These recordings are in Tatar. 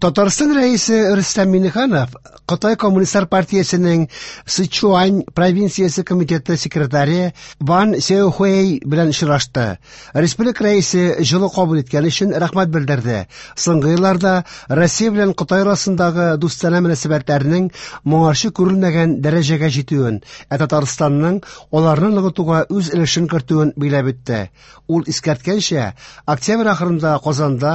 Татарстан Рәисе Рөстәм Миңнеханов Кытай Коммунистлар партиясенең Сычуань провинциясе комитеты секретаре Ван Сяохуэй белән очрашты. Республика Рәисе җылы кабул иткән өчен рәхмәт белдерде. Соңгы елларда Россия белән Кытай арасындагы дустанә мөнәсәбәтләрнең моңарчы күрелмәгән дәрәҗәгә җитүен, ә Татарстанның аларны ныгытуга үз өлешен кертүен билгеләп үтте. Ул искәрткәнчә, октябрь ахырында Казанда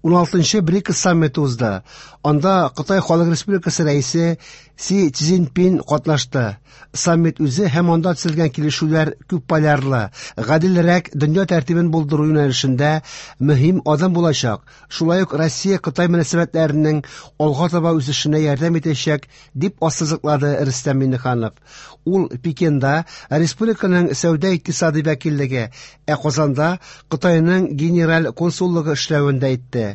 16-нчы БРИКС саммиты узды. Анда Кытай Халык Республикасы рәисе Си Цзиньпин катнашты. Саммит үзе һәм анда төзелгән килешүләр күпполярлы, гаделрәк дөнья тәртибен булдыру юнәлешендә мөһим адым булачак. Шулай ук Россия-Кытай мөнәсәбәтләренең алга таба үсешенә ярдәм итәчәк, дип ассызыклады Рөстәм Миңнеханов. Ул Пекинда республиканың сәүдә-икътисади вәкиллеге, ә Казанда Кытайның генераль консуллыгы эшләвен дә әйтте.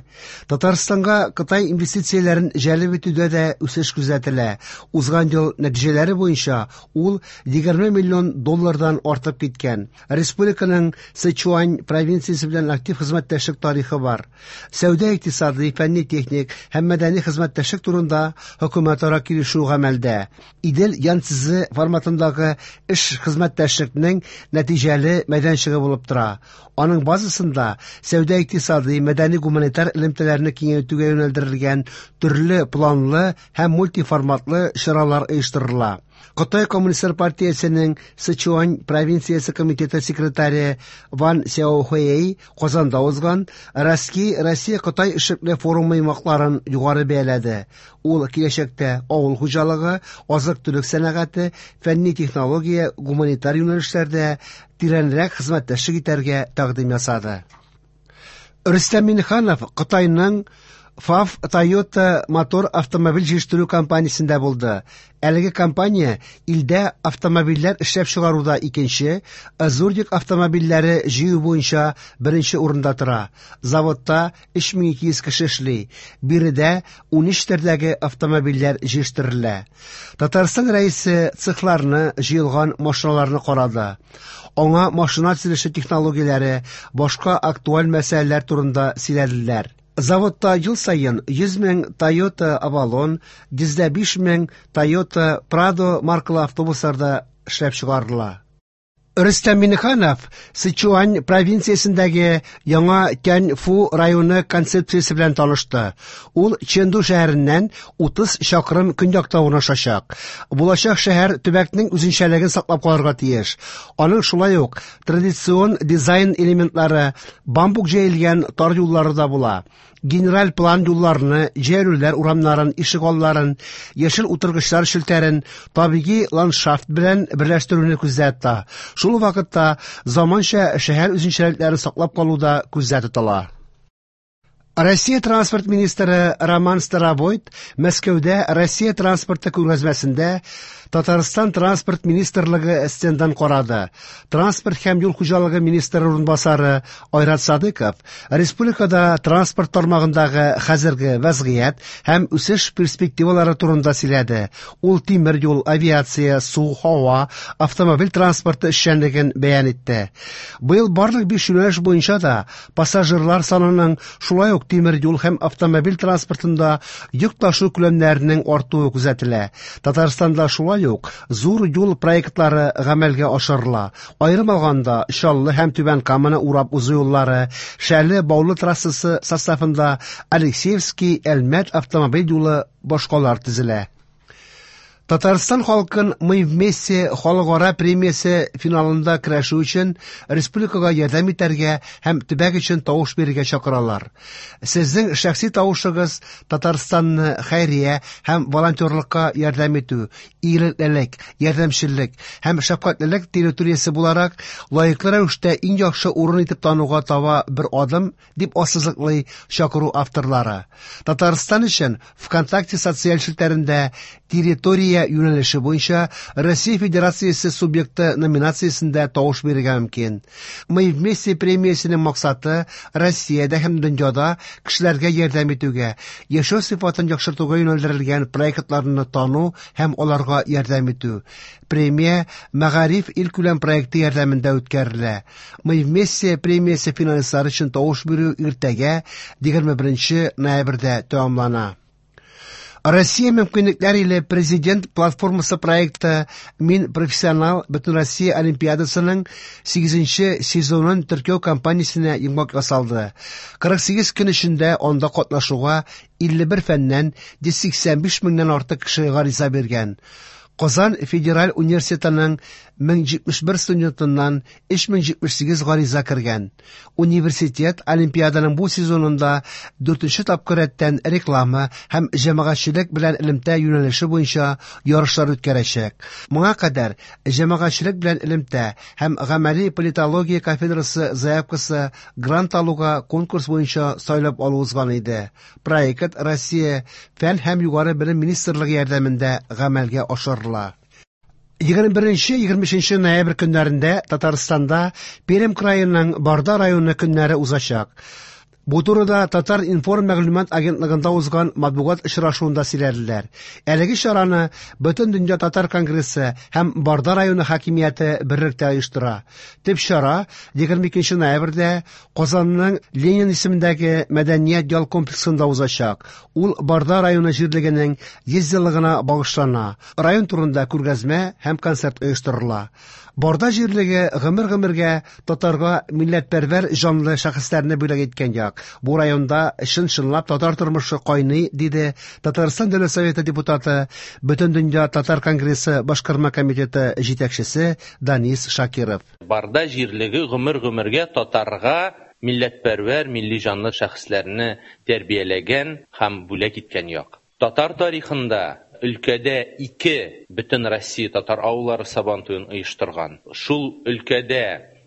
Татарстанга Кытай инвестицияләрен җәлеп итүдә дә үсеш күзәтелә. Узган ел нәтиҗәләре буенча ул 20 миллион доллардан артып киткән. Республиканың Сычуань провинциясе белән актив хезмәттәшлек тарихы бар. Сәүдә-икътисади, фәнни-техник һәм мәдәни хезмәттәшлек турында хөкүмәтара килешү гамәлдә. Идел Янцзы форматындагы эш хезмәттәшлекнең нәтиҗәле мәйданчыгы булып тора. Аның базасында сәүдә-икътисади, мәдәни-гуманитар элемтәләрне киңәйтүгә юнәлдерелгән төрле планлы һәм мультиформатлы чаралар оештырыла. Кытай Коммунистлар партиясенең Сычуань провинциясе комитеты секретаре Ван Сяохуэй Казанда узган Россия Россия-Кытай эшлекле форумы йомгакларын югары бәяләде. Ул киләчәктә авыл хуҗалыгы, азык-төлек сәнәгате, фәнни технология, гуманитар юнәлешләрдә тирәнрәк хезмәттәшлек итәргә тәкъдим ясады. Рөстәм Миңнеханов Кытайның FAW Toyota Motor автомобиль җитештерү компаниясендә булды. Әлеге компания илдә автомобильләр эшләп чыгаруда икенче, ә зур йөк автомобильләре җыю буенча беренче урында тора. Заводта 3200 кеше эшли. Биредә 13 төрдәге автомобильләр җитештерелә. Татарстан Рәисе цехларны, җыелган машиналарны карады. Аңа машина төзелеше технологияләре, башка актуаль мәсьәләләр турында сөйләделәр. Заводта ел саен 100 мең Toyota Avalon, 105 мең Toyota Prado маркалы автобуслар да эшләп чыгарыла. Рөстәм Миңнеханов Сычуань провинциясендәге яңа Тяньфу районы концепциясе белән танышты. Ул Чэнду шәһәреннән 30 чакрым көньякта урнашачак. Булачак шәһәр төбәкнең үзенчәлеген саклап калырга тиеш. Аның шулай ук традицион дизайн элементлары, бамбук җәелгән тар юллары да була. Генераль план юлларны, җәйләүләр урамнарын, ишегалларын, яшел утыргычлар челтәрен табигый ландшафт белән берләштерүне күздә тота. Шул ук вакытта заманча шәһәр үзенчәлекләрен саклап калу да күздә тотыла. Россия транспорт министры Роман Старовойт Мәскәүдә Россия транспорты күргәзмәсендә Татарстан транспорт министрлыгы стендын карады. Транспорт һәм юл хуҗалыгы министры урынбасары Айрат Садыков республикада транспорт тармагындагы хәзерге вәзгыять һәм үсеш перспективалары турында сөйләде. Ул тимер юл, авиация, су, һава, автомобиль транспорты эшчәнлеген бәян итте. Быел барлык биш юнәлеш буенча да пассажирлар санының, шулай ук тимер юл һәм автомобиль транспортында йөк ташу күләмнәренең артуы күзәтелә. Татарстанда шулай ук зур юл проектлары гамәлгә ашырыла. Аерым алганда, Чаллы һәм Түбән Каманы урап узу юллары, Шәле Баулы трассасы составында Алексеевский Әлмәт автомобиль юлы, башкалар төзелә. Татарстан халкын «Мы вместе» халыкара премиясе финалында көрәшү өчен республикага ярдәм итәргә һәм төбәк өчен тавыш бирергә чакыралар. Сезнең шәхси тавышыгыз Татарстанны хәйрия һәм волонтерлыкка ярдәм итү, игелеклелек, ярдәмчеллек һәм шәфкатьлелек территориясе буларак лаеклы рәвештә иң яхшы урын итеп тануга таба бер адым, дип ассызыклый чакыру авторлары. Татарстан өчен ВКонтакте социаль челтәрендә территория премия юнәлеше буенча Россия Федерациясе субъекты номинациясендә тавыш бирергә мөмкин. Мы вместе премиясенең максаты Россиядә һәм дөньяда кешеләргә ярдәм итүгә, яшәү сыйфатын яхшыртуга юнәлдерелгән проектларны тану һәм аларга ярдәм итү. Премия Мәгариф илкүләм проекты ярдәмендә үткәрелә. Мы вместе премиясе финалистлары өчен тавыш бирү иртәгә 21 ноябрьдә тәмамлана. Россия мөмкинлекләр иле Президент платформасы проекты Мин профессионал Бөтенроссия олимпиадасының 8 сезонын теркәү кампаниясенә йомгак ясалды. 48 көн эчендә анда катнашуга 51 фәннән 185 меңнән артык кеше гариза биргән. Казан федераль университетының 1071 студентыннан 3078 гариза кергән. Университет олимпиаданың бу сезонында 4нче тапкыр рәттән реклама һәм җәмәгатьчелек белән элемтә юнәлеше буенча ярышлар үткәрәчәк. Моңа кадәр җәмәгатьчелек белән элемтә һәм гамәли политология кафедрасы заявкасы грант алуга конкурс буенча сайлап алу узган иде. Проект Россия Фән һәм югары белем министрлыгы ярдәмендә гамәлгә ашырыла. 21-23 ноябрь көннәрендә Татарстанда Пермь краеның Барда районы көннәре узачак. Бу турыда Татар-информ мәгълүмат агентлыгында узган матбугат очрашуында сөйләделәр. Әлеге чараны Бөтендөнья татар конгрессы һәм Барда районы хакимияте берлектә оештыра. Төп чара 22 ноябрьдә Казанның Ленин исемендәге мәдәният ял комплексында узачак. Ул Барда районы җирлегенең 100 еллыгына багышлана. Район турында күргәзмә һәм концерт оештырыла. Барда җирлеге гомер-гомергә татарга милләтпәрвәр җанлы шәхесләрне бүләк иткән як. Бу районда чын-чынлап татар тормышы кайный, диде Татарстан Дәүләт Советы депутаты, Бөтендөнья татар конгрессы башкарма комитеты җитәкчесе Данис Шакиров. Барда җирлеге гомер-гомергә татарга милләтпәрвәр, милли җанлы шәхесләрне тәрбияләгән һәм бүләк иткән як. Татар тарихында өлкәдә ике бөтен Россия татар авыллары сабантуен оештырган. Шул өлкәдә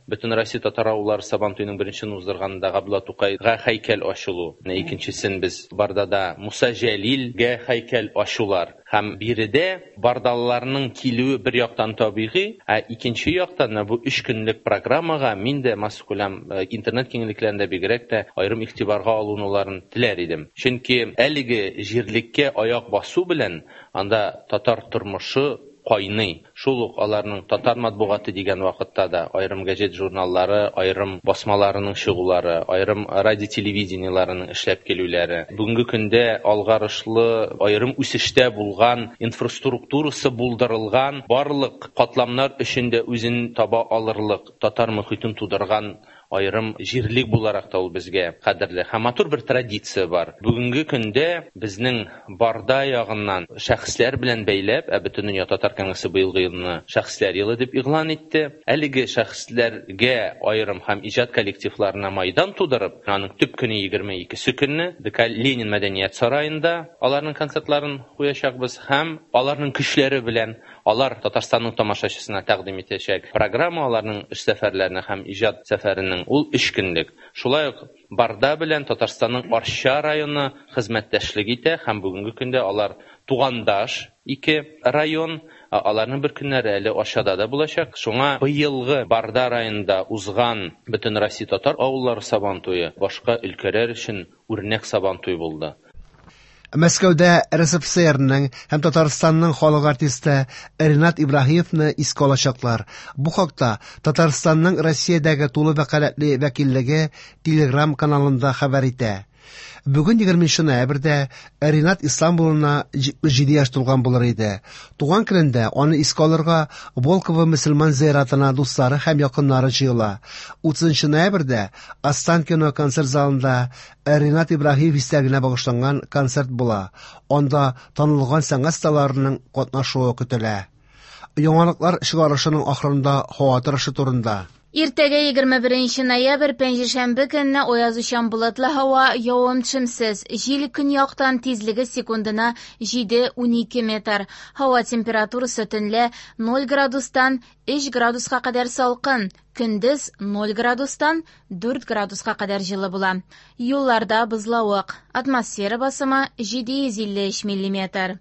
бөтен Россия татар авыллары сабантуеның беренчесен уздырганда Габдулла Тукайга һәйкәл ачылу, икенчесен без Бардада Муса Җәлилгә һәйкәл ачулар. Һәм биредә бардалыларның килүе бер яктан табигый, ә икенче яктан бу өч көнлек программага мин дә массакүләм интернет киңлекләрендә бигрәк тә аерым игътибарга алынуларын теләр идем. Чөнки әлеге җирлеккә аяк басу белән анда татар тормышы кайный. Шул ук аларның татар матбугаты дигән вакытта да аерым газет журналлары, аерым басмаларының чыгулары, аерым радио телевидениеларының эшләп килүләре. Бүгенге көндә алгарышлы аерым үсештә булган инфраструктурасы булдырылган барлык катламнар өчен дә үзен таба алырлык татар мөхитен тудырган аерым җирлек буларак та ул безгә кадерле. Һәм матур бер традиция бар. Бүгенге көндә безнең Барда ягыннан шәхесләр белән бәйләп, ә Бөтендөнья татар конгрессы быелгы елны шәхесләр елы дип игълан итте. Әлеге шәхесләргә аерым һәм иҗат коллективларына майдан тудырып, аның төп көне 22 көнне ДК Ленин мәдәният сараенда аларның концертларын куячакбыз һәм аларның көчләре белән алар Татарстанның тамашачысына тәкъдим итәчәк программа аларның эш сәфәрләренә һәм иҗат сәфәренең ул өч көнлек. Шулай ук Барда белән Татарстанның Арча районы хезмәттәшлек итә һәм бүгенге көндә алар тугандаш ике район, аларның бер көннәре әле Арчада да булачак. Шуңа быелгы Барда районында узган Бөтенроссия татар авыллары сабантуе башка өлкәләр өчен үрнәк сабантуй булды. Мәскәүдә РСФСРның һәм Татарстанның халык артисты Ренат Ибраһимовны искә алачаклар. Бу хакта Татарстанның Россиядәге тулы вәкаләтле вәкиллеге Телеграм каналында хәбәр итә. Бүген 20 ноябрьдә Ренат Ислам улына 77 яшь тулган булыр иде. Туган көнендә аны искә алырга Волково мөселман зыяратына дуслары һәм якыннары җыела. 30 ноябрьдә Останкино концерт залында Ренат Ибраһимов истәлегенә багышланган концерт була. Анда танылган сәнгать осталарының катнашуы көтелә. Яңалыклар чыгарышының ахырында һава торышы турында. Иртәгә 21 ноябрь пәнҗешәмбе көнне аязучан болытлы һава, явым-төшемсез. Җил көньяктан, тизлеге секундына 7-12 метр. Һава температурасы төнлә 0 градустан 3 градуска кадәр салкын, көндез 0 градустан 4 градуска кадәр җылы була. Юлларда бозлавык. Атмосфера басымы 753 миллиметр.